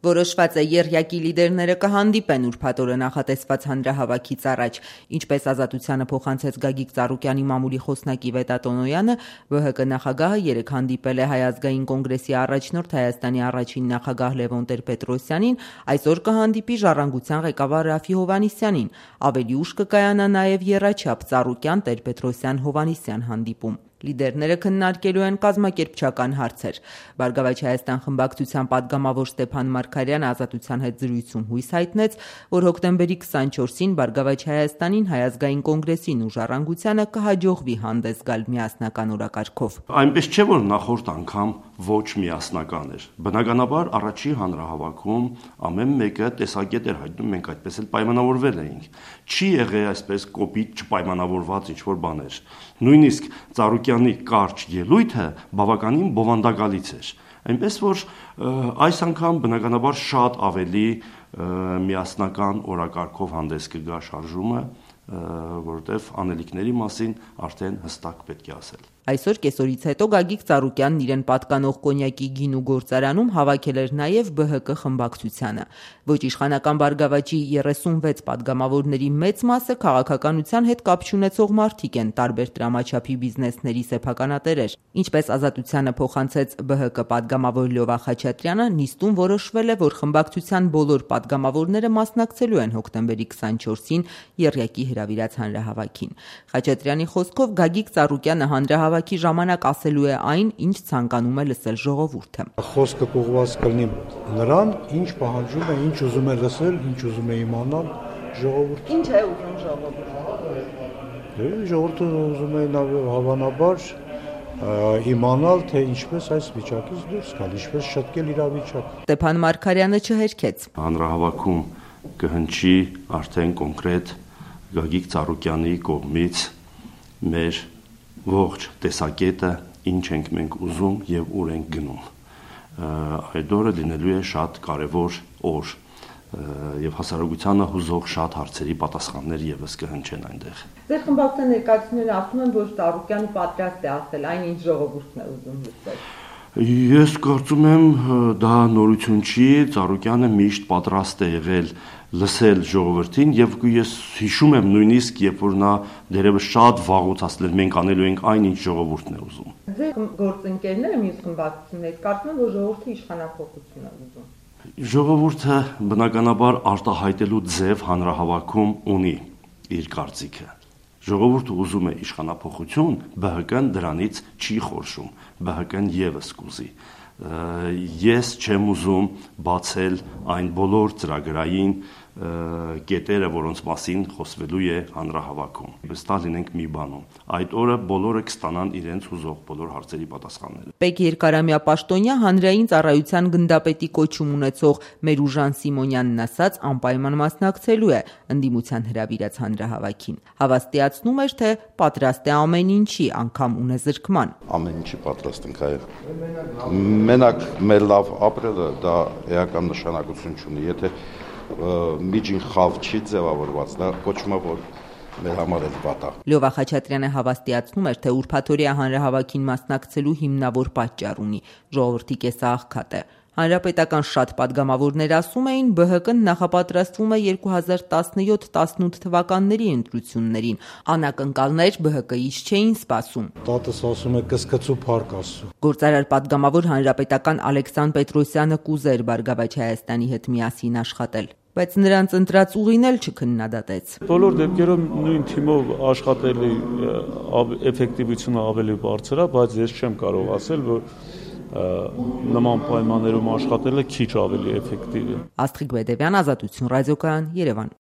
Որոշված է ԵՌՅԱԿ-ի լիդերները կհանդիպեն ուրբաթ օրը նախատեսված հանրահավաքից առաջ։ Ինչպես Ազատությանը փոխանցեց Գագիկ Ծառուկյանի մամուլի խոսնակի Վետա Տոնոյանը, ԲՀԿ նախագահը երեկ հանդիպել է Հայ ազգային կոնգրեսի առաջնորդ Հայաստանի առաջին նախագահ Լևոն Տեր-Պետրոսյանին, այսօր կհանդիպի Ժառանգության ղեկավար Րաֆֆի Հովհաննիսյանին։ Ավելի ուշ կկայանա նաև եռաչափ Ծառուկյան, Տեր-Պետրոսյան-Հովհաննիսյան հանդիպում։ Լիդերները քննարկելու են կազմակերպչական հարցեր։ Բարգավաճ Հայաստան խմբակցության պատգամավոր Ստեփան Մարգարյանը Ազատության հետ զրույցում հույս հայտնեց, որ հոկտեմբերի 24-ին Բարգավաճ Հայաստանին, Հայ ազգային կոնգրեսին ու Ժառանգությանը կհաջողվի հանդես գալ միասնական օրակարգով։ Այնպես չէ, որ նախորդ անգամ ոչ միասնական էր։ Բնականաբար առաջի հանրահավաքում ամեն մեկը տեսակետ էր հայտնում, մենք այդպես էլ պայմանավորվել էինք։ Չի եղել այսպես կոպիտ չպայմանավորված ինչ-որ բաներ։ Նույնիսկ Ծառուկյանի կարճ ելույթը բավականին բովանդակալից էր։ Այնպես որ այս անգամ բնականաբար շատ ավելի միասնական օրակարգով հանդես կգա շարժումը, որովհետև անելիքների մասին արդեն հստակ պետք է ասել։ Այսօր կեսօրից հետո Գագիկ Ծառուկյանն իրեն պատկանող կոնյակի գինու գործարանում հավաքել էր նաև ԲՀԿ խմբակցությանը։ Ոչ իշխանական Բարգավաճի 36 պատգամավորների մեծ մասը քաղաքականության հետ կապ չունեցող մարդիկ են, տարբեր տրամաչափի բիզնեսների սեփականատերեր։ Ինչպես Ազատությանը փոխանցեց ԲՀԿ պատգամավոր Լյովա Խաչատրյանը, նիստում որոշվել է, որ խմբակցության բոլոր պատգամավորները մասնակցելու են հոկտեմբերի 24-ին ԵՌՅԱԿ-ի հրավիրած հանրահավաքին։ Խաչատրյանի խոսքով Գագիկ Ծառուկյանը հանրահավաքի ժամանակ ասելու է այն, ինչ ցանկանում է լսել ժողովուրդը։ Խոսքը կողված կլինի նրան, ինչ պահանջում է, ինչ ուզում է լսել, ինչ ուզում է իմանալ ժողովուրդը։ Ինչ է ուզում ժողովուրդը։ Ժողովուրդը ուզում է հավանաբար իմանալ, թե ինչպես այս վիճակից դուրս գալ, ինչպես շտկել իրավիճակը։ Ստեփան Մարգարյանը չհերքեց։ Հանրահավաքում կհնչի արդեն կոնկրետ Գագիկ Ծառուկյանի կողմից մեր ողջ տեսակետը, ինչ ենք մենք ուզում եւ ուր ենք գնում։ Այդ օրը լինելու է շատ կարևոր օր եւ հասարակությանը հուզող շատ հարցերի պատասխաններ եւս կհնչեն այնտեղ։ Ձեր խմբակցության ներկայացուցիչները ասում են, որ Ծառուկյանը պատրաստ է ասել այն, ինչ ժողովուրդն է ուզում լսել։ Ես կարծում եմ, դա նորություն չի, Ծառուկյանը միշտ պատրաստ է եղել լսել ժողովրդին եւ ես հիշում եմ նույնիսկ երբ որ նա դերևս շատ վաղուց ասել էր մենք անելու ենք այն ինչ ժողովուրդն է ուզում։ Ձեր գործընկերները մյուս խմբակցություններից կարծում են, որ ժողովրդը իշխանափոխություն է ուզում։ Ժողովուրդը բնականաբար արտահայտելու ձև հանրահավաքում ունի իր կարծիքը։ Ժողովուրդը ուզում է իշխանափոխություն, ԲՀԿ-ն դրանից չի խորշում, ԲՀԿ-ն եւս կուզի։ Ես չեմ ուզում բացել այն բոլոր ծրագրային կետերը, որոնց մասին խոսվելու է հանրահավաքում։ Վստահ լինենք մի բանում, այդ օրը բոլորը կստանան իրենց հուզող բոլոր հարցերի պատասխանները։ Պետ Երկարամյա Պաշտոնյա հանրային ծառայության գնդապետի կոչում ունեցող Մերուժան Սիմոնյանն ասաց, անպայման մասնակցելու է ընդդիմության հրավիրած հանրահավաքին։ Հավաստիացնում էր, թե պատրաստ է ամեն ինչի, անգամ ունեզրկման։ Ամեն ինչի պատրաստ ենք այո։ Մենակ մեր լավ ապրելը դա էական նշանակություն չունի, եթե միջին խավ չի ձևավորված, դա կոչվում է, որ մեր համար էլ վատ է։ Լյովա Խաչատրյանը հավաստիացնում էր, թե ուրբաթօրյա հանրահավաքին մասնակցելու հիմնավոր պատճառ ունի՝ ժողովրդի կեսաղքատ է։ Հանրապետական շատ պատգամավորներ ասում էին, ԲՀԿ-ն նախապատրաստվում է 2017-18 թվականների ընտրություններին։ Անակնկալներ ԲՀԿ-ից չէին սպասում։ Տատս ասում է կսկծու փառք Աստծո։ Գործարար պատգամավոր հանրապետական Ալեքսան Պետրոսյանը կուզեր Բարգավաճ Հայաստանի հետ միասին աշխատել, բայց նրանց ընտրած ուղին էլ չքննադատեց։ Բոլոր դեպքերում նույն թիմով աշխատելի էֆեկտիվությունը ավելի բարձր է, բայց ես չեմ կարող ասել, որ նման պայմաններում աշխատելը քիչ ավելի էֆեկտիվ է։ Աստղիկ Բեդևյան, Ազատություն ռադիոկայան, Երևան։